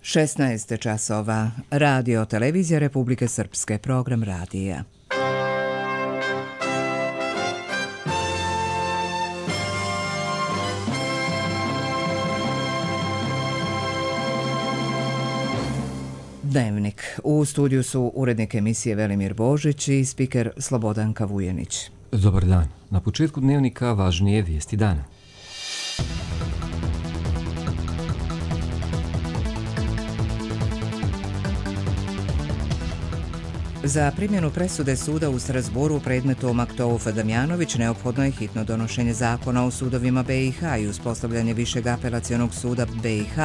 16 časova. Radio Televizija Republike Srpske. Program radija. Dnevnik. U studiju su urednik emisije Velimir Božić i spiker Slobodanka Vujenić. Dobar dan. Na početku dnevnika važnije vijesti dana. Za primjenu presude suda u Strasbourgu u predmetu Maktouf Damjanović neophodno je hitno donošenje zakona o sudovima BiH i uspostavljanje Višeg apelacionog suda BiH,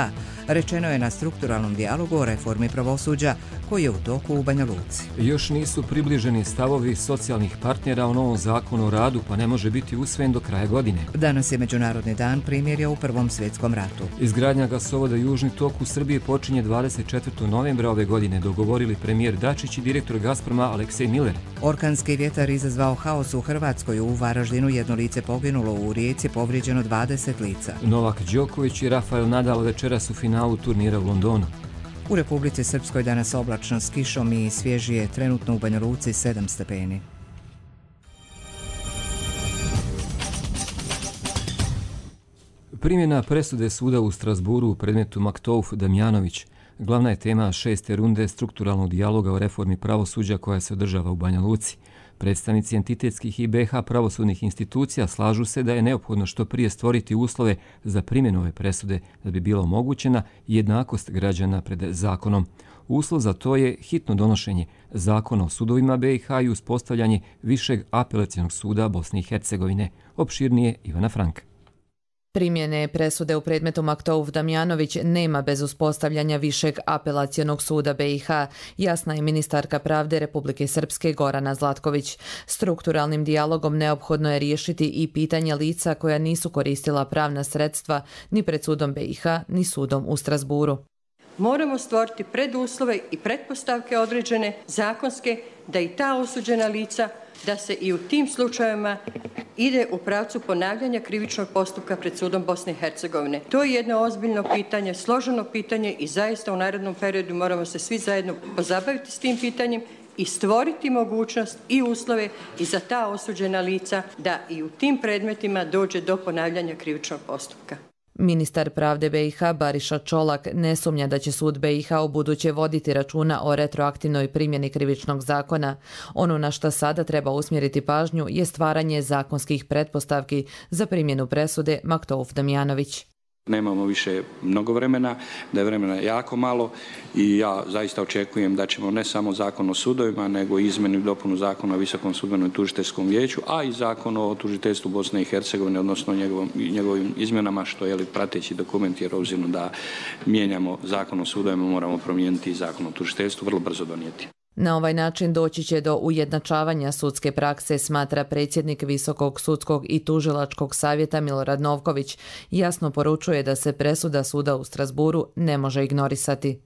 rečeno je na strukturalnom dijalogu o reformi pravosuđa koji je u toku u Banja Luci. Još nisu približeni stavovi socijalnih partnera o novom zakonu o radu, pa ne može biti usvojen do kraja godine. Danas je Međunarodni dan primirja u Prvom svjetskom ratu. Izgradnja gasovoda Južni tok u Srbiji počinje 24. novembra ove godine, dogovorili premijer Dačić i direktor Gazproma Aleksej Miller. Orkanski vjetar izazvao haos u Hrvatskoj. U Varaždinu jedno lice poginulo, u Rijeci povrijeđeno 20 lica. Novak Đoković i Rafael Nadal večeras u finalu turnira u Londonu. U Republici Srpskoj danas oblačno s kišom i svježije, trenutno u Banja Luci 7 stepeni. Primjena presude suda u Strasbourgu u predmetu Maktouf Damjanović glavna je tema 6. runde strukturalnog dijaloga o reformi pravosuđa koja se održava u Banja Luci. Predstavnici entitetskih i BiH pravosudnih institucija slažu se da je neophodno što prije stvoriti uslove za primjenu ove presude da bi bila omogućena jednakost građana pred zakonom. Uslov za to je hitno donošenje zakona o sudovima BiH i uspostavljanje Višeg apelacionog suda Bosne i Hercegovine. Opširnije Ivana Franka. Primjene presude u predmetu Maktouf Damjanović nema bez uspostavljanja Višeg apelacionog suda BiH, jasna je ministarka pravde Republike Srpske Gorana Zlatković. Strukturalnim dijalogom neophodno je riješiti i pitanje lica koja nisu koristila pravna sredstva ni pred sudom BiH, ni sudom u Strasbourgu. Moramo stvoriti preduslove i pretpostavke određene zakonske da i ta osuđena lica, da se i u tim slučajevima ide u pravcu ponavljanja krivičnog postupka pred sudom Bosne i Hercegovine. To je jedno ozbiljno pitanje, složeno pitanje i zaista u narednom periodu moramo se svi zajedno pozabaviti s tim pitanjem i stvoriti mogućnost i uslove i za ta osuđena lica da i u tim predmetima dođe do ponavljanja krivičnog postupka. Ministar pravde BiH Bariša Čolak ne sumnja da će sud BiH u buduće voditi računa o retroaktivnoj primjeni krivičnog zakona. Ono na što sada treba usmjeriti pažnju je stvaranje zakonskih pretpostavki za primjenu presude Maktouf Damjanović. Nemamo više mnogo vremena, da je vremena jako malo i ja zaista očekujem da ćemo ne samo zakon o sudovima, nego i izmjenu i dopunu zakona o Visokom sudbenom i tužiteljskom vijeću, a i zakon o tužiteljstvu Bosne i Hercegovine, odnosno njegovim izmjenama, što je prateći dokument, jer obzirom da mijenjamo zakon o sudovima, moramo promijeniti i zakon o tužiteljstvu, vrlo brzo donijeti. Na ovaj način doći će do ujednačavanja sudske prakse, smatra predsjednik Visokog sudskog i tužilačkog savjeta Milorad Novković. Jasno poručuje da se presuda suda u Strasbourgu ne može ignorisati.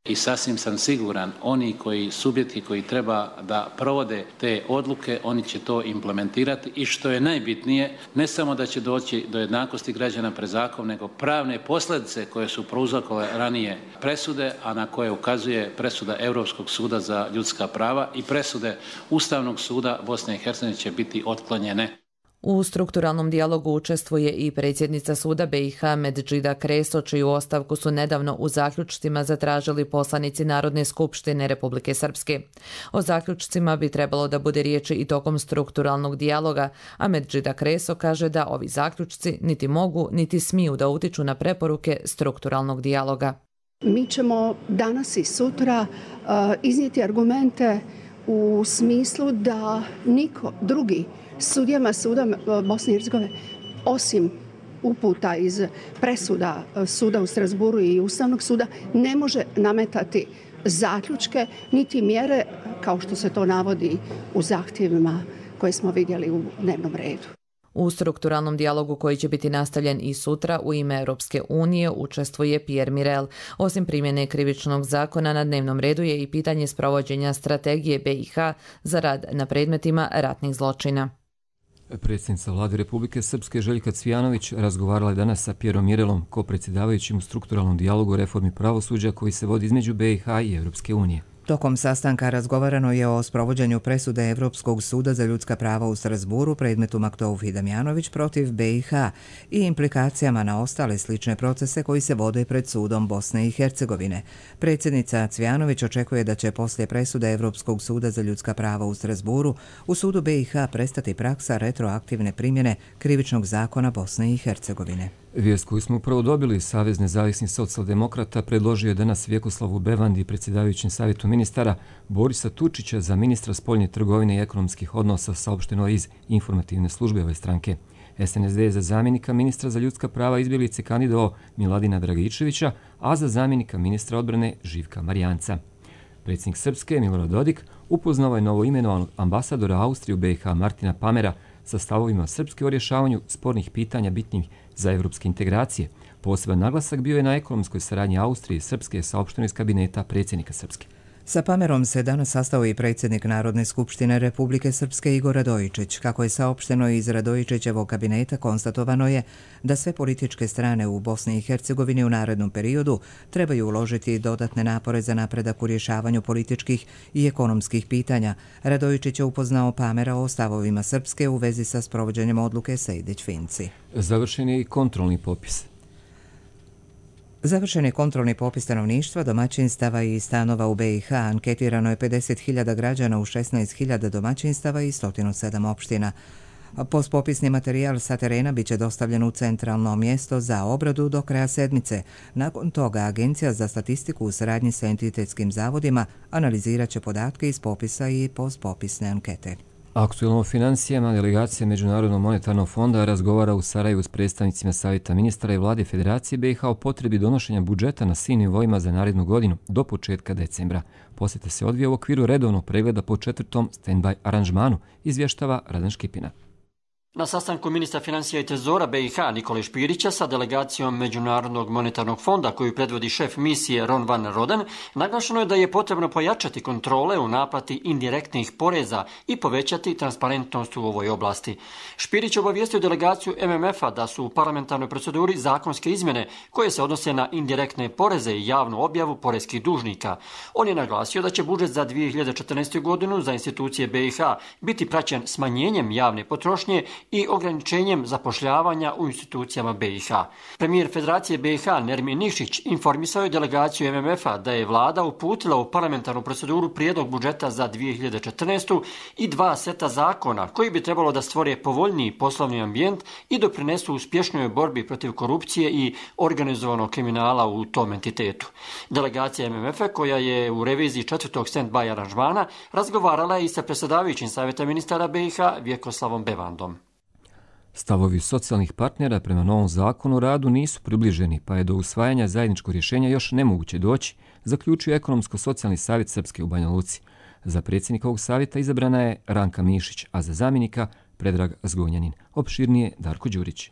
I sasvim sam siguran, oni subjekti koji treba da provode te odluke, oni će to implementirati i što je najbitnije, ne samo da će doći do jednakosti građana pred zakonom, nego pravne posljedice koje su prouzrokovale ranije presude, a na koje ukazuje presuda Europskog suda za ljudska prava i presude Ustavnog suda Bosne i Hercegovine će biti otklonjene. U strukturalnom dijalogu učestvuje i predsjednica suda BiH Medžida Kreso, čiju ostavku su nedavno u zaključcima zatražili poslanici Narodne skupštine Republike Srpske. O zaključcima bi trebalo da bude riječi i tokom strukturalnog dijaloga, a Medžida Kreso kaže da ovi zaključci niti mogu, niti smiju da utiču na preporuke strukturalnog dijaloga. Mi ćemo danas i sutra iznijeti argumente u smislu da niko drugi sudijama suda Bosne i Hercegovine, osim uputa iz presuda suda u Strasbourgu i Ustavnog suda, ne može nametati zaključke niti mjere kao što se to navodi u zahtjevima koje smo vidjeli u dnevnom redu. U strukturalnom dijalogu koji će biti nastavljen i sutra u ime Europske unije učestvuje Pierre Mirel. Osim primjene krivičnog zakona na dnevnom redu je i pitanje sprovođenja strategije BiH za rad na predmetima ratnih zločina. Predsjednica Vlade Republike Srpske Željka Cvijanović razgovarala je danas sa Pjerom Mirelom, ko-predsjedavajućim u strukturalnom dijalogu o reformi pravosuđa koji se vodi između BiH i Europske unije. Tokom sastanka razgovarano je o sprovođenju presude Evropskog suda za ljudska prava u Strasburu predmetu Maktouf i Damjanović protiv BiH i implikacijama na ostale slične procese koji se vode pred sudom Bosne i Hercegovine. Predsjednica Cvijanović očekuje da će poslije presude Evropskog suda za ljudska prava u Strasburu u sudu BiH prestati praksa retroaktivne primjene krivičnog zakona Bosne i Hercegovine. Vijest koju smo upravo dobili, Savez nezavisnih socijaldemokrata predložio je danas Vjekoslavu Bevandi, predsjedavajućem savjetu ministara, Borisa Tučića za ministra spoljne trgovine i ekonomskih odnosa, saopšteno iz informativne službe ove stranke. SNSD je za zamjenika ministra za ljudska prava izbjeglice kandidovao Miladina Dragičevića, a za zamjenika ministra odbrane Živka Marijanca. Predsjednik Srpske, Milorad Dodik, upoznao je novoimenovanog ambasadora Austrije u BiH Martina Pamera sa stavovima Srpske o rješavanju spornih pitanja bitnih za evropske integracije. Poseban naglasak bio je na ekonomskoj saradnji Austrije i Srpske, saopšteno iz kabineta predsjednika Srpske. Sa Pamerom se danas sastao i predsjednik Narodne skupštine Republike Srpske Igor Radojičić. Kako je saopšteno iz Radojičićevog kabineta, konstatovano je da sve političke strane u Bosni i Hercegovini u narednom periodu trebaju uložiti dodatne napore za napredak u rješavanju političkih i ekonomskih pitanja. Radojičić je upoznao Pamera o stavovima Srpske u vezi sa sprovođenjem odluke Sejdić-Finci. Završen je i kontrolni popis. Završen je kontrolni popis stanovništva, domaćinstava i stanova u BiH. Anketirano je 50.000 građana u 16.000 domaćinstava i 107 opština. Postpopisni materijal sa terena biće dostavljen u centralno mjesto za obradu do kraja sedmice. Nakon toga Agencija za statistiku u saradnji sa entitetskim zavodima analizirat će podatke iz popisa i postpopisne ankete. Aktualno o financijama, delegacija Međunarodnog monetarnog fonda razgovara u Sarajevu s predstavnicima Savjeta ministara i vlade Federacije BiH o potrebi donošenja budžeta na svim nivoima za narednu godinu do početka decembra. Posjeta se odvija u okviru redovnog pregleda po 4. stand-by aranžmanu, izvještava Radan Škipina. Na sastanku ministra financija i trezora BiH Nikole Špirića sa delegacijom Međunarodnog monetarnog fonda koju predvodi šef misije Ron van Roden, naglašeno je da je potrebno pojačati kontrole u naplati indirektnih poreza i povećati transparentnost u ovoj oblasti. Špirić obavijestio delegaciju MMF-a da su u parlamentarnoj proceduri zakonske izmjene koje se odnose na indirektne poreze i javnu objavu poreskih dužnika. On je naglasio da će budžet za 2014. godinu za institucije BiH biti praćen smanjenjem javne potrošnje i ograničenjem zapošljavanja u institucijama BiH. Premijer Federacije BiH Nermin Nikšić informisao je delegaciju MMF-a da je vlada uputila u parlamentarnu proceduru prijedlog budžeta za 2014. i 2 seta zakona koji bi trebalo da stvore povoljniji poslovni ambijent i doprinesu uspješnoj borbi protiv korupcije i organizovanog kriminala u tom entitetu. Delegacija MMF-a koja je u reviziji 4. stand-by aranžmana razgovarala je i sa predsjedavajućim Savjeta ministara BiH Vjekoslavom Bevandom. Stavovi socijalnih partnera prema novom zakonu o radu nisu približeni, pa je do usvajanja zajedničkog rješenja još nemoguće doći, zaključio Ekonomsko-socijalni savjet Srpske u Banja Luci. Za predsjednika ovog savjeta izabrana je Ranka Mišić, a za zamjenika Predrag Zgonjanin. Opširnije Darko Đurić.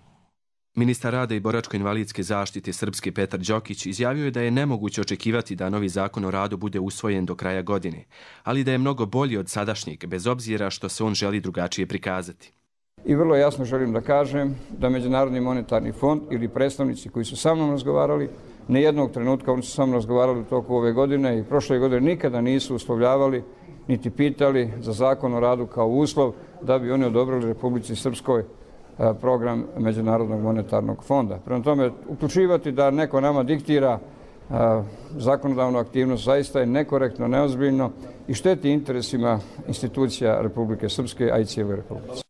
Ministar rada i boračko-invalidske zaštite Srpske Petar Đokić izjavio je da je nemoguće očekivati da novi zakon o radu bude usvojen do kraja godine, ali da je mnogo bolji od sadašnjeg, bez obzira što se on želi drugačije prikazati. I vrlo jasno želim da kažem da Međunarodni monetarni fond ili predstavnici koji su sa mnom razgovarali, nijednog trenutka oni su sa mnom razgovarali u toku ove godine i prošle godine nikada nisu uslovljavali niti pitali za zakon o radu kao uslov da bi oni odobrili Republici Srpskoj program Međunarodnog monetarnog fonda. Prema tome, uključivati da neko nama diktira zakonodavnu aktivnost zaista je nekorektno, neozbiljno i šteti interesima institucija Republike Srpske, a i cijele Republike.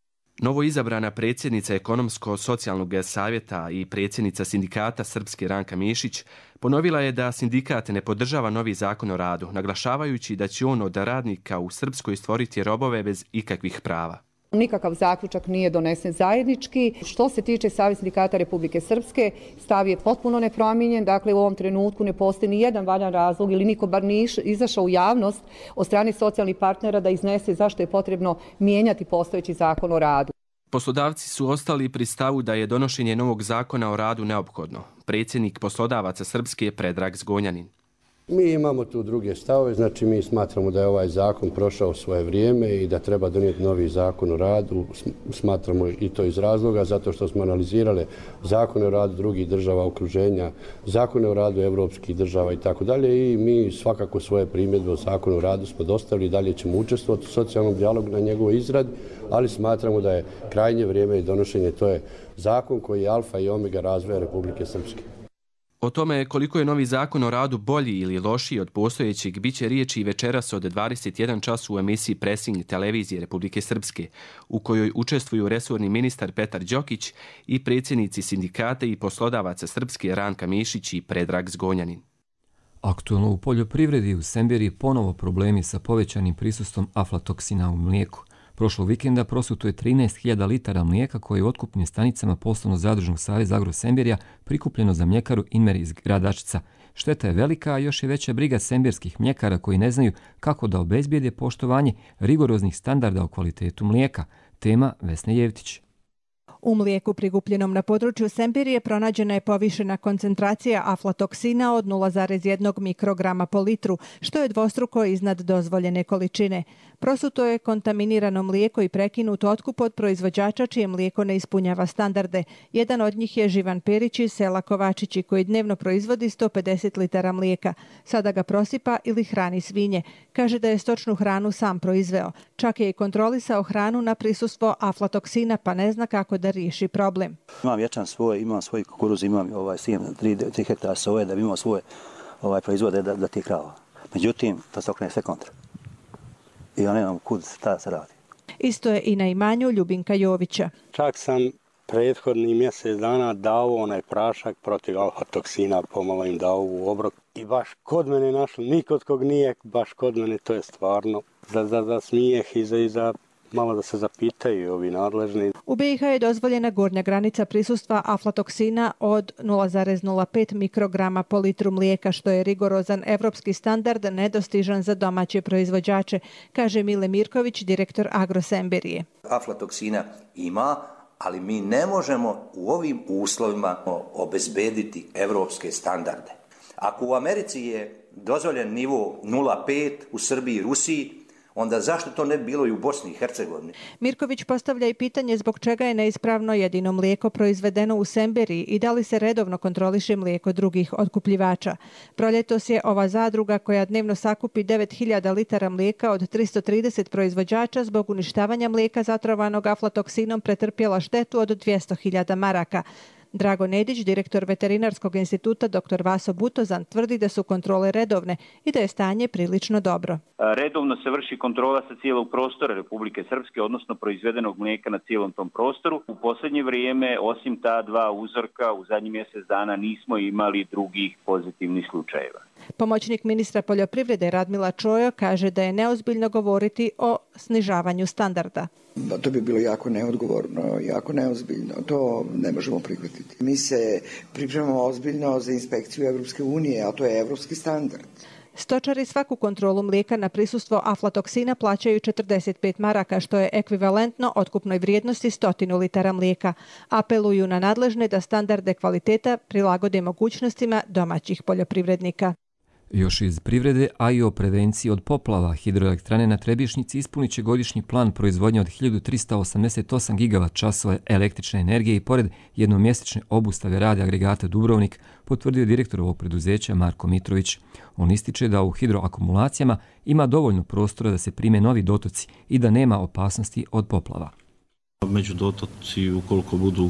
Novo izabrana predsjednica Ekonomsko-socijalnog savjeta i predsjednica sindikata Srpske Ranka Mišić ponovila je da sindikat ne podržava novi zakon o radu, naglašavajući da će on od radnika u Srpskoj stvoriti robove bez ikakvih prava. Nikakav zaključak nije donesen zajednički. Što se tiče Saveza sindikata Republike Srpske, stav je potpuno nepromijenjen. Dakle, u ovom trenutku ne postoji ni jedan valjan razlog ili niko bar nije izašao u javnost od strane socijalnih partnera da iznese zašto je potrebno mijenjati postojeći zakon o radu. Poslodavci su ostali pri stavu da je donošenje novog zakona o radu neophodno. Predsjednik poslodavaca Srpske je Predrag Zgonjanin. Mi imamo tu druge stavove, znači mi smatramo da je ovaj zakon prošao svoje vrijeme i da treba donijeti novi zakon o radu. Smatramo i to iz razloga zato što smo analizirali zakone o radu drugih država okruženja, zakone o radu evropskih država i tako dalje i mi svakako svoje primjedbe o zakonu o radu smo dostavili i dalje ćemo učestvovati u socijalnom dijalogu na njegovoj izradi, ali smatramo da je krajnje vrijeme i donošenje, to je zakon koji je alfa i omega razvoja Republike Srpske. O tome koliko je novi zakon o radu bolji ili lošiji od postojećeg biće riječi i večeras od 21 čas u emisiji Pressing televizije Republike Srpske, u kojoj učestvuju resorni ministar Petar Đokić i predsjednici sindikata i poslodavaca Srpske Ranka Mišić i Predrag Zgonjanin. Aktualno u poljoprivredi u Semberiji ponovo problemi sa povećanim prisustvom aflatoksina u mlijeku. Prošlog vikenda prosuto je 13.000 litara mlijeka koje je u otkupnim stanicama Poslovno-zadružnog saveza Agrosembirja prikupljeno za mljekaru Inmer iz Gradačca. Šteta je velika, a još je veća briga semberskih mljekara koji ne znaju kako da obezbijede poštovanje rigoroznih standarda o kvalitetu mlijeka. Tema Vesne Jevtić. U mlijeku prikupljenom na području Semberije pronađena je povišena koncentracija aflatoksina od 0,1 mikrograma po litru, što je dvostruko iznad dozvoljene količine. Prosuto je kontaminirano mlijeko i prekinut otkup od proizvođača čije mlijeko ne ispunjava standarde. Jedan od njih je Živan Perić iz sela Kovačići koji dnevno proizvodi 150 litara mlijeka. Sada ga prosipa ili hrani svinje. Kaže da je stočnu hranu sam proizveo. Čak je i kontrolisao hranu na prisustvo aflatoksina pa ne zna kako da riješi problem. Imam ječam svoj, imam svoj kukuruz, imam sijem 3 hektara soje da bi imao svoje proizvode da ti krava. Međutim, to se okrene sve kontra. I ja nemam kud šta se radi. Isto je i na imanju Ljubinka Jovića. Čak sam prethodni mjesec dana dao onaj prašak protiv aflatoksina, pomalo im dao u obrok. I baš kod mene našlo, nikod kog nije, baš kod mene, to je stvarno za smijeh i za malo da se zapitaju ovi nadležni. U BiH je dozvoljena gornja granica prisustva aflatoksina od 0,05 mikrograma po litru mlijeka, što je rigorozan evropski standard nedostižan za domaće proizvođače, kaže Mile Mirković, direktor Agrosembirije. Aflatoksina ima, ali mi ne možemo u ovim uslovima obezbediti evropske standarde. Ako u Americi je dozvoljen nivo 0,5, u Srbiji i Rusiji, onda zašto to ne bi bilo i u Bosni i Hercegovini? Mirković postavlja i pitanje zbog čega je neispravno jedino mlijeko proizvedeno u Semberiji i da li se redovno kontroliše mlijeko drugih otkupljivača. Proljetos je ova zadruga koja dnevno sakupi 9.000 litara mlijeka od 330 proizvođača zbog uništavanja mlijeka zatrovanog aflatoksinom pretrpjela štetu od 200.000 maraka. Drago Nedić, direktor Veterinarskog instituta dr. Vaso Butozan, tvrdi da su kontrole redovne i da je stanje prilično dobro. Redovno se vrši kontrola sa cijelog prostora Republike Srpske, odnosno proizvedenog mlijeka na cijelom tom prostoru. U posljednje vrijeme, osim ta dva uzorka, u zadnjih mjesec dana nismo imali drugih pozitivnih slučajeva. Pomoćnik ministra poljoprivrede Radmila Čojo kaže da je neozbiljno govoriti o snižavanju standarda. To bi bilo jako neodgovorno, jako neozbiljno. To ne možemo prihvatiti. Mi se pripremamo ozbiljno za inspekciju Evropske unije, a to je evropski standard. Stočari svaku kontrolu mlijeka na prisustvo aflatoksina plaćaju 45 maraka, što je ekvivalentno otkupnoj vrijednosti 100 litara mlijeka. Apeluju na nadležne da standarde kvaliteta prilagode mogućnostima domaćih poljoprivrednika. Još iz privrede, a i o prevenciji od poplava, hidroelektrane na Trebišnjici ispunit će godišnji plan proizvodnje od 1388 gigavat-časova električne energije i pored jednomjesečne obustave rada agregata Dubrovnik, potvrdio direktor ovog preduzeća Marko Mitrović. On ističe da u hidroakumulacijama ima dovoljno prostora da se prime novi dotoci i da nema opasnosti od poplava. Među dotoci, ukoliko budu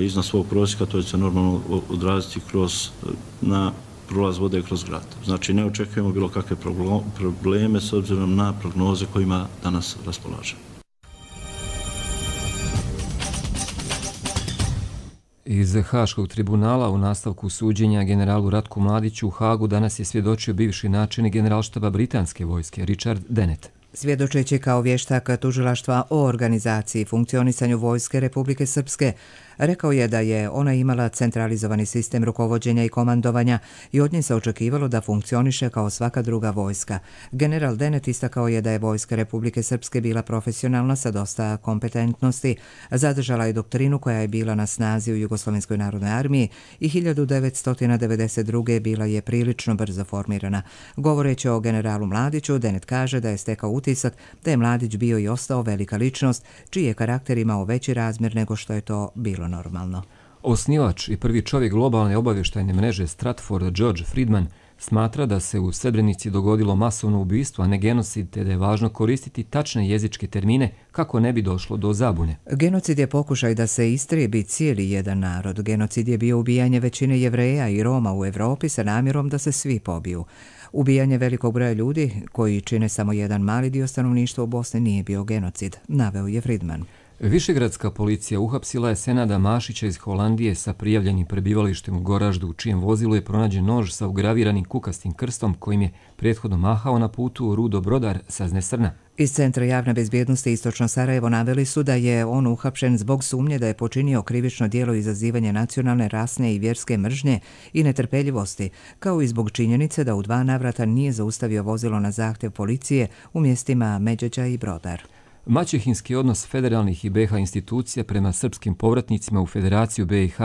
iznad svog prosjeka, to će se normalno odraziti na prolaz vode kroz grad. Znači ne očekujemo bilo kakve probleme s obzirom na prognoze kojima danas raspolažemo. Iz Haškog tribunala u nastavku suđenja generalu Ratku Mladiću u Hagu danas je svjedočio bivši načelnik generalštaba britanske vojske Richard Dennett. Svjedočeći kao vještak tužilaštva o organizaciji i funkcionisanju vojske Republike Srpske, Rekao je da je ona imala centralizovani sistem rukovođenja i komandovanja i od nje se očekivalo da funkcioniše kao svaka druga vojska. General Denet istakao je da je vojska Republike Srpske bila profesionalna sa dosta kompetentnosti, zadržala je doktrinu koja je bila na snazi u Jugoslovenskoj narodnoj armiji i 1992. bila je prilično brzo formirana. Govoreći o generalu Mladiću, Denet kaže da je stekao utisak da je Mladić bio i ostao velika ličnost, čiji je karakter imao veći razmjer nego što je to bilo normalno. Osnivač i prvi čovjek globalne obavještajne mreže Stratford, George Friedman, smatra da se u Srebrenici dogodilo masovno ubistvo, a ne genocid, te da je važno koristiti tačne jezičke termine kako ne bi došlo do zabune. Genocid je pokušaj da se istrijebi cijeli jedan narod. Genocid je bio ubijanje većine Jevreja i Roma u Evropi sa namjerom da se svi pobiju. Ubijanje velikog broja ljudi, koji čine samo jedan mali dio stanovništva u Bosni, nije bio genocid, naveo je Friedman. Višegradska policija uhapsila je Senada Mašića iz Holandije sa prijavljenim prebivalištem u Goraždu, u čijem vozilu je pronađen nož sa ugraviranim kukastim krstom kojim je prethodno mahao na putu Rudo Brodar sa Znesrna. Iz Centra javne bezbjednosti Istočno Sarajevo naveli su da je on uhapšen zbog sumnje da je počinio krivično djelo izazivanja nacionalne, rasne i vjerske mržnje i netrpeljivosti, kao i zbog činjenice da u 2 navrata nije zaustavio vozilo na zahtjev policije u mjestima Međeđa i Brodar. Maćehinski odnos federalnih i BiH institucija prema srpskim povratnicima u Federaciju BiH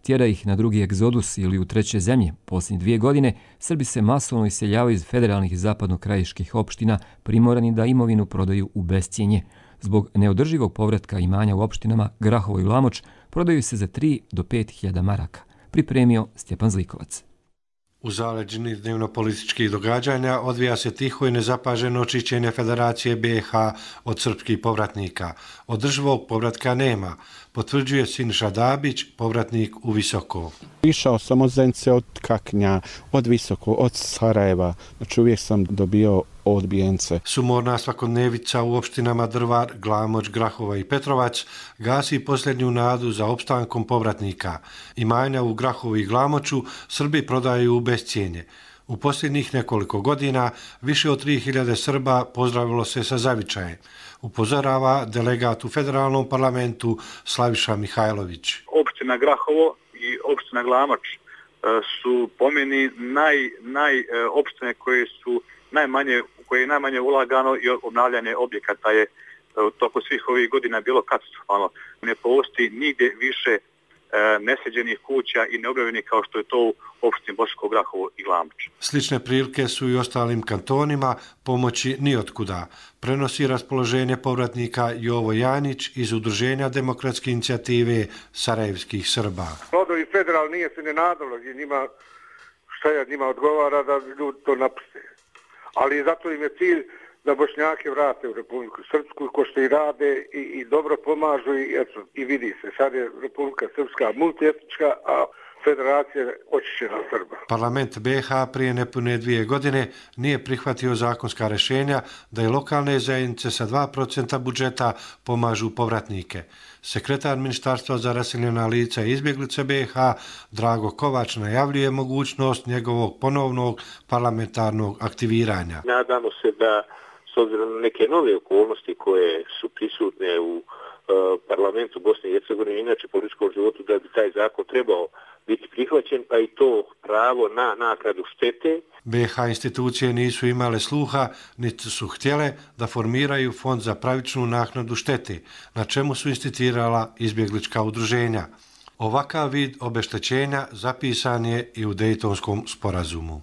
tjera ih na drugi egzodus ili u treće zemlje. Posljednje 2 godine Srbi se masovno iseljavaju iz federalnih i zapadno-krajiških opština, primorani da imovinu prodaju u bescijenje. Zbog neodrživog povratka imanja u opštinama Grahovo i Lamoč prodaju se za 3 do 5 hiljada maraka. Pripremio Stjepan Zlikovac. U zaleđini dnevno-političkih događanja odvija se tiho i nezapaženo očišćenje Federacije BiH od srpskih povratnika. Održivog povratka nema, potvrđuje Siniša Dabić, povratnik u Visoko. Išao sam od Zenice, od Kaknja, od Visoko, od Sarajeva, znači uvijek sam dobio odbijence. Sumorna svakodnevica u opštinama Drvar, Glamoč, Grahova i Petrovac gasi posljednju nadu za opstankom povratnika. Imanja u Grahovu i Glamoču Srbi prodaju u bescijenje. U posljednjih nekoliko godina više od 3000 Srba pozdravilo se sa zavičajem, upozorava delegat u federalnom parlamentu Slaviša Mihajlović. Opština Grahovo i opština Glamoč su po meni opštine koje je najmanje ulagano i obnavljanje objekata je u toku svih ovih godina bilo katastrofalno. Ne postoji nigdje više nesređenih kuća i neobnovljenih kao što je to u opštini Bosansko Grahovo i Glamoč. Slične prilike su i ostalim kantonima, pomoći nijotkuda. Prenosi raspoloženje povratnika Jovo Janić iz Udruženja demokratske inicijative Sarajevskih Srba. Rodovi federal nije se ne nadalo i njima odgovara da ljudi to napuste. Ali zato im je cilj da Bošnjake vrate u Republiku Srpsku, ko što i rade i dobro pomažu i vidi se. Sad je Republika Srpska multietnička, a Federacija očišćena Srba. Parlament BiH prije nepune 2 godine nije prihvatio zakonska rješenja da i lokalne zajednice sa 2% budžeta pomažu povratnike. Sekretar Ministarstva za raseljena lica i izbjeglice BiH Drago Kovač najavljuje mogućnost njegovog ponovnog parlamentarnog aktiviranja. Nadamo se da s obzirom na neke nove okolnosti koje su prisutne u parlamentu Bosne i Hercegovine, inače političkom životu, da bi taj zakon trebao biti prihvaćen, pa i to pravo na naknadu štete. BiH institucije nisu imale sluha, niti su htjele da formiraju fond za pravičnu naknadu štete, na čemu su insistirala izbjeglička udruženja. Ovakav vid obeštećenja zapisan je i u Dejtonskom sporazumu.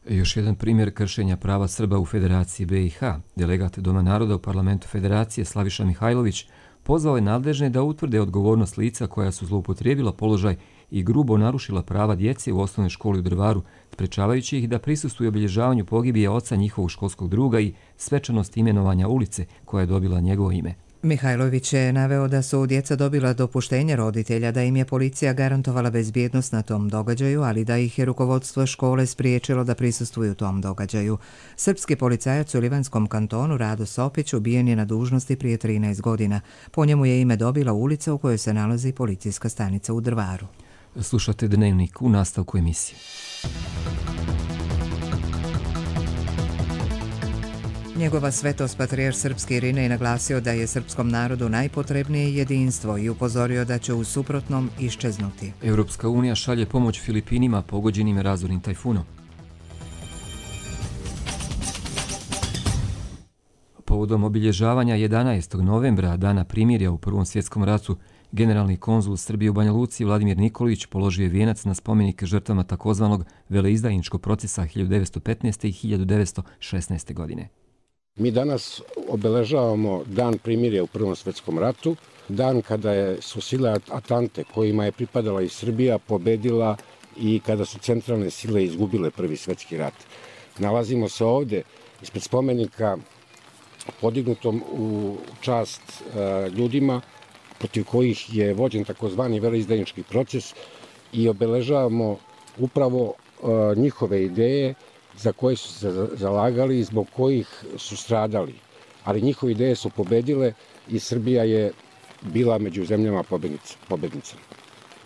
Još jedan primjer kršenja prava Srba u Federaciji BiH. Delegat Doma naroda u parlamentu Federacije Slaviša Mihajlović pozvao je nadležne da utvrde odgovornost lica koja su zloupotrijebila položaj i grubo narušila prava djece u osnovnoj školi u Drvaru, sprečavajući ih da prisustvuju obilježavanju pogibije oca njihovog školskog druga i svečanost imenovanja ulice koja je dobila njegovo ime. Mihajlović je naveo da su djeca dobila dopuštenje roditelja, da im je policija garantovala bezbjednost na tom događaju, ali da ih je rukovodstvo škole spriječilo da prisustvuju tom događaju. Srpski policajac u Livanskom kantonu Rado Sopić ubijen je na dužnosti prije 13 godina. Po njemu je ime dobila ulica u kojoj se nalazi policijska stanica u Drvaru. Slušate Dnevnik u nastavku emisije. Njegova svetost patrijarh srpski Irinej naglasio da je srpskom narodu najpotrebnije jedinstvo i upozorio da će u suprotnom iščeznuti. Europska unija šalje pomoć Filipinima pogođenim razornim tajfunom. Povodom obilježavanja 11. novembra, dana primirja u Prvom svjetskom ratu, generalni konzul Srbije u Banja Luci Vladimir Nikolić položio je vijenac na spomenik žrtvama takozvanog veleizdajničkog procesa 1915. i 1916. godine. Mi danas obeležavamo dan primirja u Prvom svjetskom ratu, dan kada su sile Atante, kojima je pripadala i Srbija, pobedila i kada su centralne sile izgubile Prvi svjetski rat. Nalazimo se ovdje ispred spomenika podignutom u čast ljudima protiv kojih je vođen takozvani veleizdajnički proces i obeležavamo upravo njihove ideje za koje su se zalagali i zbog kojih su stradali. Ali njihove ideje su pobedile i Srbija je bila među zemljama pobednicama.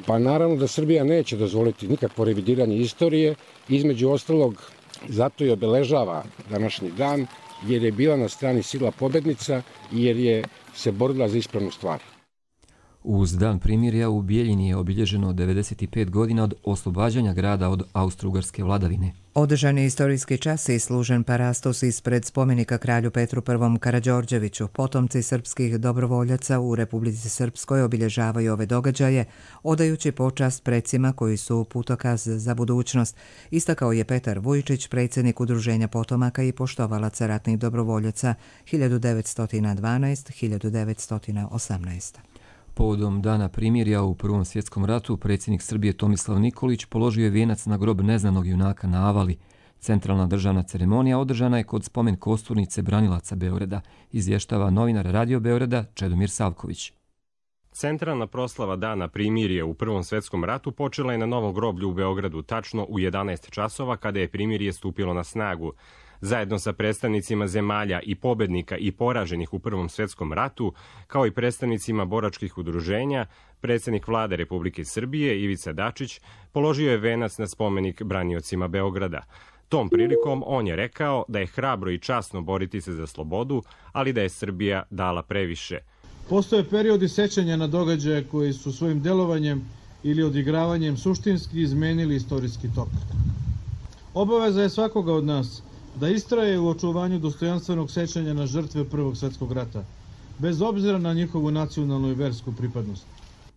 Pa naravno da Srbija neće dozvoliti nikakvo revidiranje istorije, između ostalog zato i obeležava današnji dan, jer je bila na strani sila pobednica i jer je se borila za ispravnu stvar. Uz dan primirja u Bijeljini je obilježeno 95 godina od oslobađanja grada od austro-ugarske vladavine. Održan je istorijski čas i služen parastos ispred spomenika kralju Petru I. Karađorđeviću. Potomci srpskih dobrovoljaca u Republici Srpskoj obilježavaju ove događaje, odajući počast precima koji su putokaz za budućnost, istakao je Petar Vujčić, predsjednik Udruženja potomaka i poštovalaca ratnih dobrovoljaca 1912-1918. Povodom dana primirja u Prvom svjetskom ratu, predsjednik Srbije Tomislav Nikolić položio je vijenac na grob neznanog junaka na Avali. Centralna državna ceremonija održana je kod spomen kosturnice branilaca Beograda, izvještava novinar Radio Beograda Čedomir Savković. Centralna proslava dana primirje u Prvom svjetskom ratu počela je na Novom groblju u Beogradu, tačno u 11 časova kada je primirje stupilo na snagu. Zajedno sa predstavnicima zemalja i pobednika i poraženih u Prvom svjetskom ratu, kao i predstavnicima boračkih udruženja, predsjednik vlade Republike Srbije Ivica Dačić položio je venac na spomenik braniocima Beograda. Tom prilikom on je rekao da je hrabro i časno boriti se za slobodu, ali da je Srbija dala previše. Postoje periodi sećanja na događaje koji su svojim delovanjem ili odigravanjem suštinski izmenili istorijski tok. Obaveza je svakoga od nas da istraje u očuvanju dostojanstvenog sećanja na žrtve Prvog svjetskog rata, bez obzira na njihovu nacionalnu i versku pripadnost.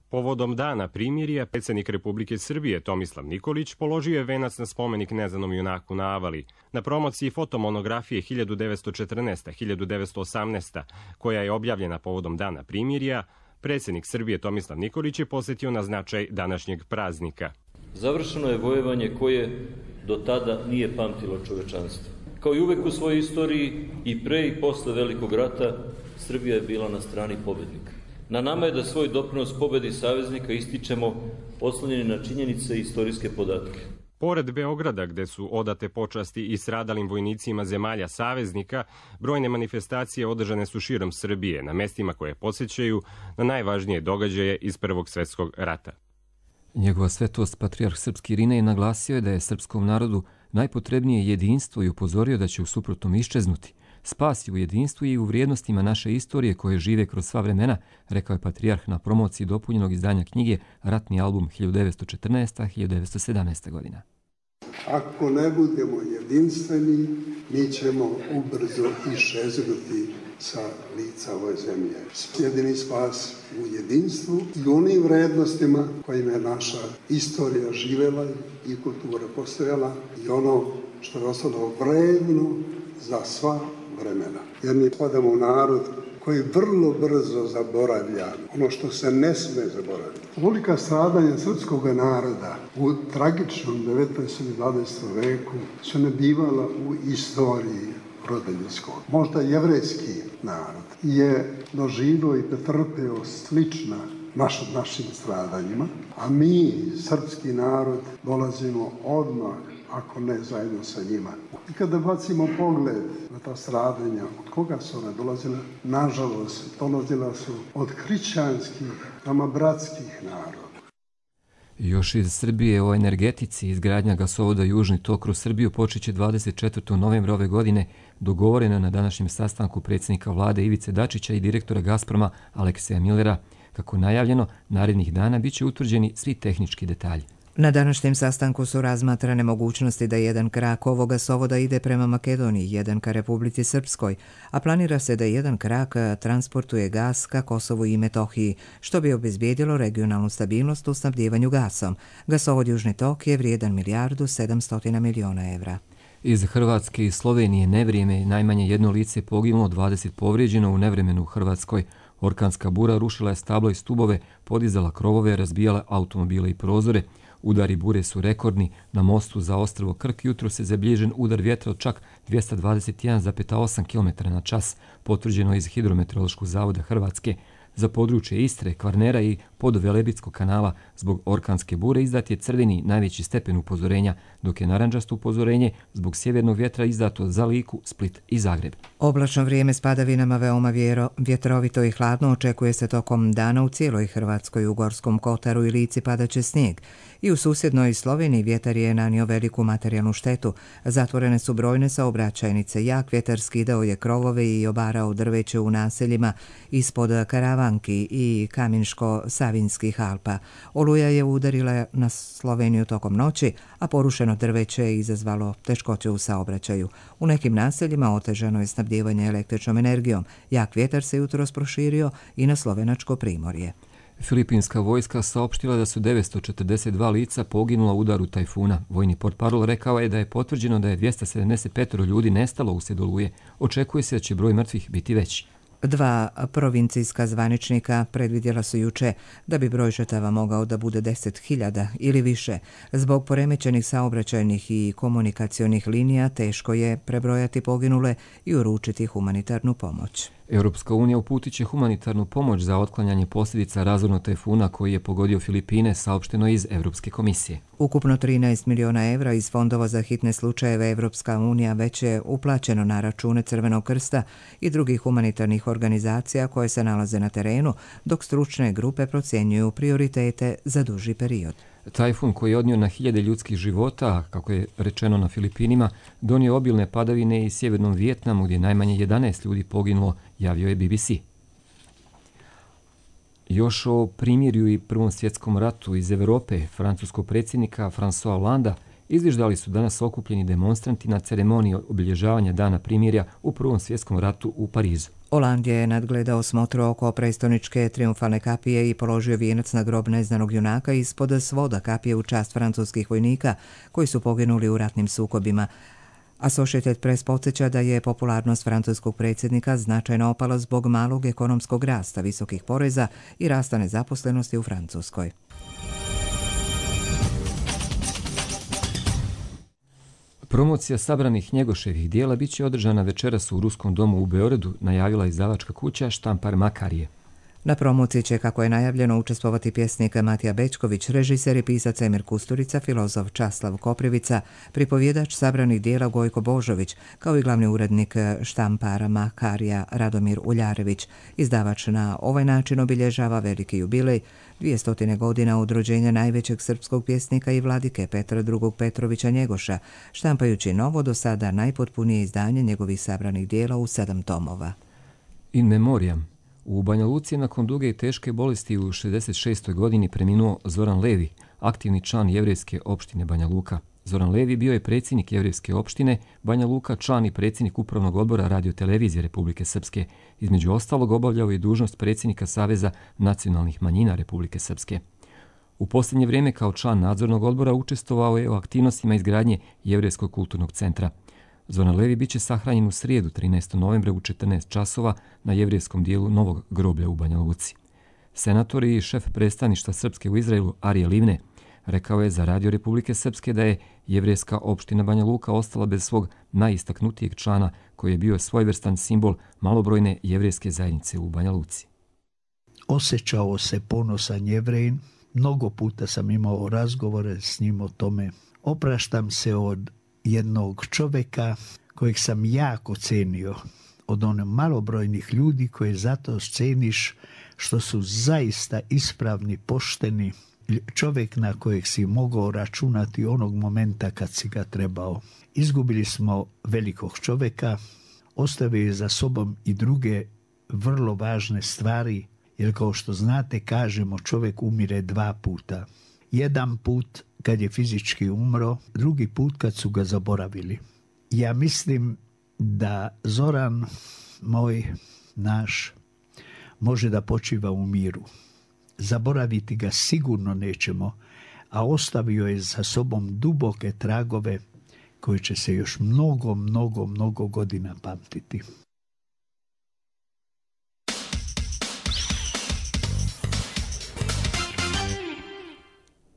Povodom dana primirja, predsjednik Republike Srbije Tomislav Nikolić položio je venac na spomenik neznanom junaku na Avali. Na promociji fotomonografije 1914-1918, koja je objavljena povodom dana primirja, predsjednik Srbije Tomislav Nikolić je posjetio na značaj današnjeg praznika. Završeno je vojevanje koje do tada nije pamtilo čovečanstvo. Kao i uvek u svojoj istoriji, i pre i posle Velikog rata, Srbija je bila na strani pobednika. Na nama je da svoj doprinos pobedi saveznika ističemo oslonjeni na činjenice i istorijske podatke. Pored Beograda, gde su odate počasti i stradalim vojnicima zemalja saveznika, brojne manifestacije održane su širom Srbije, na mestima koje podsjećaju na najvažnije događaje iz Prvog svjetskog rata. Njegova svetost patrijarh srpski Irinej naglasio je da je srpskom narodu najpotrebnije jedinstvo i upozorio da će u suprotnom iščeznuti. Spas je u jedinstvu i u vrijednostima naše istorije koje žive kroz sva vremena, rekao je patrijarh na promociji dopunjenog izdanja knjige Ratni album 1914-1917. godina. Ako ne budemo jedinstveni, mi ćemo ubrzo iščeznuti sa lica ove zemlje. Jedini spas u jedinstvu i onim vrednostima kojima je naša istorija živela i kultura postojala i ono što je ostalo vredno za sva vremena. Jer mi padamo u narod koji vrlo brzo zaboravlja ono što se ne sme zaboraviti. Velika stradanja srpskog naroda u tragičnom 19. i 20. veku su ne bivala u istoriji roda ljudskog. Možda jevrejski narod je doživio i pretrpeo slična našim stradanjima, a mi, srpski narod, dolazimo odmah, ako ne zajedno sa njima. I kada bacimo pogled na ta stradanja, od koga su ona dolazila? Nažalost, dolazila su od hrišćanskih, nama bratskih naroda. Još iz Srbije o energetici. Izgradnja gasovoda Južni tok kroz Srbiju počeće 24. novembra ove godine, dogovoreno na današnjem sastanku predsjednika vlade Ivice Dačića i direktora Gazproma Alekseja Millera. Kako najavljeno, narednih dana biće utvrđeni svi tehnički detalji. Na današnjem sastanku su razmatrane mogućnosti da jedan krak ovog gasovoda ide prema Makedoniji, jedan ka Republici Srpskoj, a planira se da jedan krak transportuje gas ka Kosovu i Metohiji, što bi obezbijedilo regionalnu stabilnost u snabdjevanju gasom. Gasovod Južni tok je vrijedan $1.7 milijardi. Iz Hrvatske i Slovenije nevrijeme, najmanje jedno lice poginulo, 20 povrijeđeno u nevremenu u Hrvatskoj. Orkanska bura rušila je stablo i stubove, podizala krovove, razbijala automobile i prozore. Udari bure su rekordni. Na mostu za ostrvo Krk jutro se zabilježen udar vjetra od čak 221,8 km/h, potvrđeno iz Hidrometeorološkog zavoda Hrvatske. Za područje Istre, Kvarnera i Podvelebitskog kanala zbog orkanske bure izdat je crveni najveći stepen upozorenja, dok je narandžasto upozorenje zbog sjevernog vjetra izdato za Liku, Split i Zagreb. Oblačno vrijeme s padavinama veoma vjetrovito i hladno očekuje se tokom dana u cijeloj Hrvatskoj. U Gorskom Kotaru i Lici padaće snijeg. I u susjednoj Sloveniji vjetar je nanio veliku materijalnu štetu. Zatvorene su brojne saobraćajnice. Jak vjetar skidao je krovove i obarao drveće u naseljima ispod Karavanki i Kaminško-Savinskih Alpa. Oluja je udarila na Sloveniju tokom noći, a porušeno drveće je izazvalo teškoće u saobraćaju. U nekim naseljima otežano je snabdijevanje električnom energijom. Jak vjetar se jutros proširio i na slovenačko primorje. Filipinska vojska saopštila da su 942 lica poginula u udaru tajfuna. Vojni portparol rekao je da je potvrđeno da je 275 ljudi nestalo uslijed oluje. Očekuje se da će broj mrtvih biti veći. Dva provincijska zvaničnika predvidjela su juče da bi broj žrtava mogao da bude 10.000 ili više. Zbog poremećenih saobraćajnih i komunikacionih linija teško je prebrojati poginule i uručiti humanitarnu pomoć. Europska unija uputit će humanitarnu pomoć za otklanjanje posljedica razornog tajfuna koji je pogodio Filipine, saopšteno iz Europske komisije. Ukupno 13 miliona evra iz fondova za hitne slučajeve Europska unija već je uplaćeno na račune Crvenog krsta i drugih humanitarnih organizacija koje se nalaze na terenu, dok stručne grupe procjenjuju prioritete za duži period. Tajfun koji je odnio na hiljade ljudskih života, kako je rečeno na Filipinima, donio obilne padavine i sjevernom Vijetnamu gdje najmanje 11 ljudi poginulo, javio je BBC. Još o primirju i Prvom svjetskom ratu iz Evrope, francuskog predsjednika François Hollanda izviždali su danas okupljeni demonstranti na ceremoniji obilježavanja Dana primirja u Prvom svjetskom ratu u Parizu. Hollande je nadgledao smotru oko prestoničke triumfalne kapije i položio vijenac na grob neznanog junaka ispod svoda kapije u čast francuskih vojnika koji su poginuli u ratnim sukobima. Associated Press podsjeća da je popularnost francuskog predsjednika značajno opala zbog malog ekonomskog rasta, visokih poreza i rasta nezaposlenosti u Francuskoj. Promocija sabranih Njegoševih dijela bit će održana večeras u Ruskom domu u Beogradu, najavila izdavačka kuća Štampar Makarije. Na promociji će, kako je najavljeno, učestvovati pjesnik Matija Bečković, režiser i pisac Emir Kusturica, filozof Časlav Koprivica, pripovjedač sabranih dijela Gojko Božović, kao i glavni urednik Štampara Makarija Radomir Uljarević. Izdavač na ovaj način obilježava veliki jubilej, 200 godina od rođenja najvećeg srpskog pjesnika i vladike Petra II. Petrovića Njegoša, štampajući novo, do sada najpotpunije izdanje njegovih sabranih dijela u 7 tomova. In memoriam. U Banja Luci nakon duge i teške bolesti u 66. godini preminuo Zoran Levi, aktivni član jevrejske opštine Banja Luka. Zoran Levi bio je predsjednik jevrejske opštine Banja Luka, član i predsjednik upravnog odbora radiotelevizije Republike Srpske. Između ostalog obavljao je dužnost predsjednika Saveza nacionalnih manjina Republike Srpske. U posljednje vrijeme kao član nadzornog odbora učestvovao je u aktivnostima izgradnje Jevrejskog kulturnog centra. Zoran Levi biće sahranjen u srijedu 13. novembra u 14 časova na jevrejskom dijelu Novog groblja u Banja Luci. Senator i šef predstavništva Srpske u Izraelu Arije Livne rekao je za Radio Republike Srpske da je jevrejska opština Banja Luka ostala bez svog najistaknutijeg člana koji je bio svojevrstan simbol malobrojne jevrejske zajednice u Banja Luci. Osjećao se ponosan Jevrejin, mnogo puta sam imao razgovore s njim o tome. Opraštam se od jednog čovjeka kojeg sam jako cenio, od onih malobrojnih ljudi koje zato ceniš što su zaista ispravni, pošteni čovjek na kojeg si mogao računati onog momenta kad si ga trebao. Izgubili smo velikog čovjeka, ostavio je za sobom i druge vrlo važne stvari, jer kao što znate kažemo čovjek umire 2 puta. Jedan put kad je fizički umro, drugi put kad su ga zaboravili. Ja mislim da Zoran, moj, naš, može da počiva u miru. Zaboraviti ga sigurno nećemo, a ostavio je za sobom duboke tragove koje će se još mnogo godina pamtiti.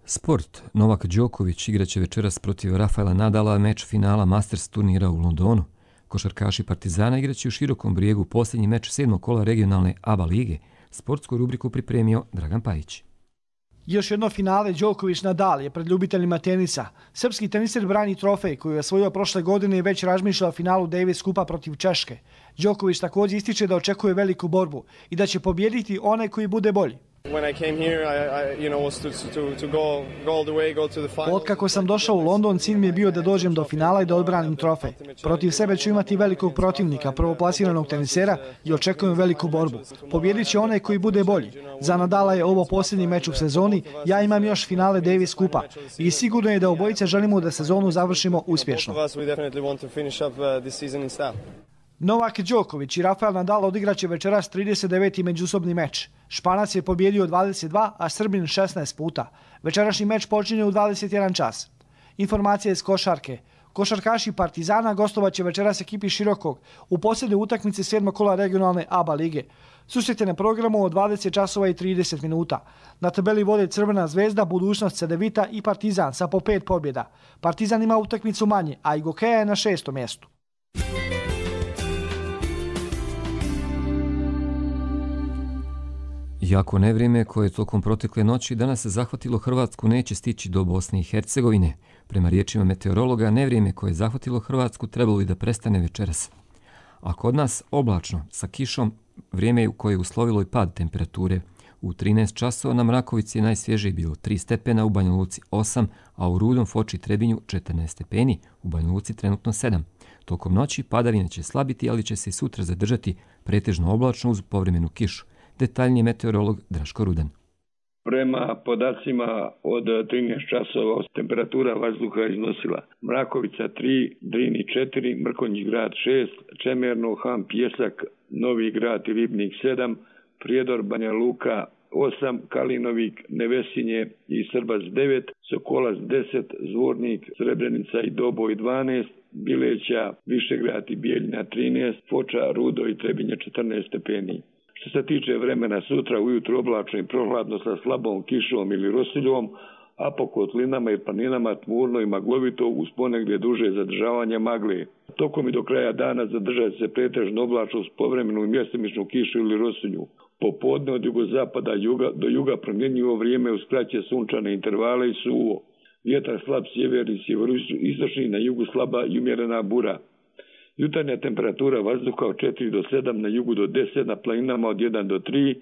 Sport. Novak Đoković igraće večeras protiv Rafaela Nadala meč finala Masters turnira u Londonu. Košarkaši Partizana igraće u Širokom Brijegu posljednji meč 7. kola regionalne ABA lige. Sportsku rubriku pripremio Dragan Pajić. Još jedno finale Đoković-Nadal je pred ljubiteljima tenisa. Srpski teniser brani trofej koju je osvojio prošle godine i već razmišlja o finalu Davis Kupa protiv Češke. Đoković također ističe da očekuje veliku borbu i da će pobijediti onaj koji bude bolji. Otkako sam došao u London, cilj mi je bio da dođem do finala i da odbranim trofej. Protiv sebe ću imati velikog protivnika, prvoplasiranog tenisera i očekujem veliku borbu. Pobjedit će onaj koji bude bolji. Za Nadala je ovo posljednji meč u sezoni, ja imam još finale Davis Kupa i sigurno je da obojice želimo da sezonu završimo uspješno. Novak Đoković i Rafael Nadal odigraće večeras 39. međusobni meč. Španac je pobjedio 22, a Srbin 16 puta. Večerašnji meč počinje u 21 čas. Informacije iz košarke. Košarkaši Partizana gostovaće večeras ekipi Širokog u posljednjoj utakmici 7. kola regionalne ABA lige. Susret je na programu od 20 časova i 30 minuta. Na tabeli vode Crvena zvezda, Budućnost Cedevita i Partizan sa po 5 pobjeda. Partizan ima utakmicu manje, a i Gokeja je na 6. mjestu. Jako nevrijeme koje je tokom protekle noći danas se zahvatilo Hrvatsku neće stići do Bosne i Hercegovine. Prema riječima meteorologa, nevrijeme koje je zahvatilo Hrvatsku trebalo i da prestane večeras. A kod nas oblačno, sa kišom, vrijeme koje je uslovilo i pad temperature. U 13 časova na Mrakovici je najsvježije bilo 3 stepena, u Banja Luci 8, a u Rudom, Foči i Trebinju 14 stepeni, u Banja Luci trenutno 7. Tokom noći padavine će slabiti, ali će se i sutra zadržati pretežno oblačno uz povremenu kišu. Detaljniji meteorolog Draško Rudan. Prema podacima od 13 časova temperatura vazduha iznosila Mrakovica 3, Drini 4, Mrkonjić grad 6, Čemerno, Han, Pjesak, Novi grad i Ribnik 7, Prijedor, Banja Luka 8, Kalinovik, Nevesinje i Srbac 9, Sokolac 10, Zvornik, Srebrenica i Doboj 12, Bileća, Višegrad i Bijeljina 13, Foča, Rudo i Trebinje 14 stepeni. Što se tiče vremena sutra, ujutro oblačno i prohladno sa slabom kišom ili rosuljom, a po kotlinama i planinama tmurno i maglovito uz ponegdje duže zadržavanje magle. Tokom i do kraja dana zadržat se pretežno oblačno s povremenu i mjestimičnu kišu ili rosulju. Popodne od jugozapada do juga promjenjivo vrijeme uz kraće sunčane intervale i suvo. Vjetar slab sjeverni, sjeveroistočni, na jugu slaba i umjerena bura. Jutarnja temperatura vazduha od 4 do 7, na jugu do 10, na planinama od 1 do 3,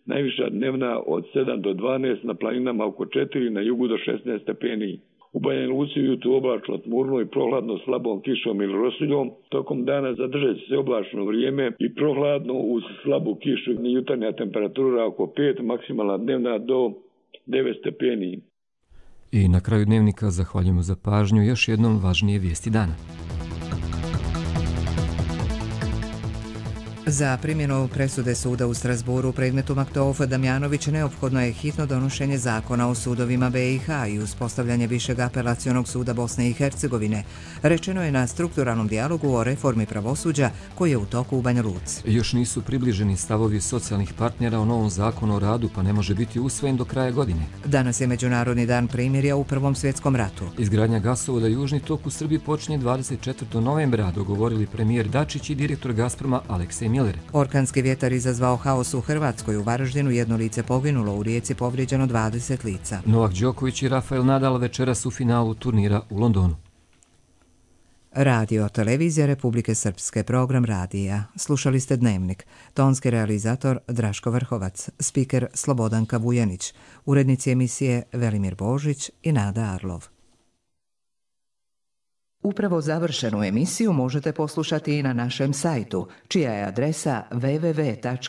najviša dnevna od 7 do 12, na planinama oko 4, na jugu do 16 stepeni. U Banja Luci ujutro oblačno, tmurno i prohladno slabom kišom ili rosuljom. Tokom dana zadržat će se oblačno vrijeme i prohladno uz slabu kišu. Jutarnja temperatura oko 5, maksimalna dnevna do 9 stepeni. I na kraju dnevnika zahvaljujemo za pažnju. Još jednom važnije vijesti dana. Za primjenu presude suda u Strasburu u predmetu Maktouf-Damjanović neophodno je hitno donošenje zakona o sudovima BiH i uspostavljanje Višeg apelacionog suda Bosne i Hercegovine, rečeno je na strukturalnom dijalogu o reformi pravosuđa koji je u toku u Banja Luci. Još nisu približeni stavovi socijalnih partnera o novom zakonu o radu, pa ne može biti usvojen do kraja godine. Danas je Međunarodni dan primirja u Prvom svjetskom ratu. Izgradnja gasovoda Južni tok u Srbiji počinje 24. novembra, dogovorili premijer Dačić i direktor Gazproma Aleksej Miller. Orkanski vjetar izazvao haos u Hrvatskoj. U Varaždinu 1 lice poginulo, u Rijeci povrijeđeno 20 lica. Novak Đoković i Rafael Nadal večeras u finalu turnira u Londonu. Radio Televizija Republike Srpske, program radija. Slušali ste Dnevnik. Tonski realizator Draško Vrhovac, spiker Slobodanka Vujanić, urednici emisije Velimir Božić i Nada Arlov. Upravo završenu emisiju možete poslušati i na našem sajtu, čija je adresa www.rtrs.tv.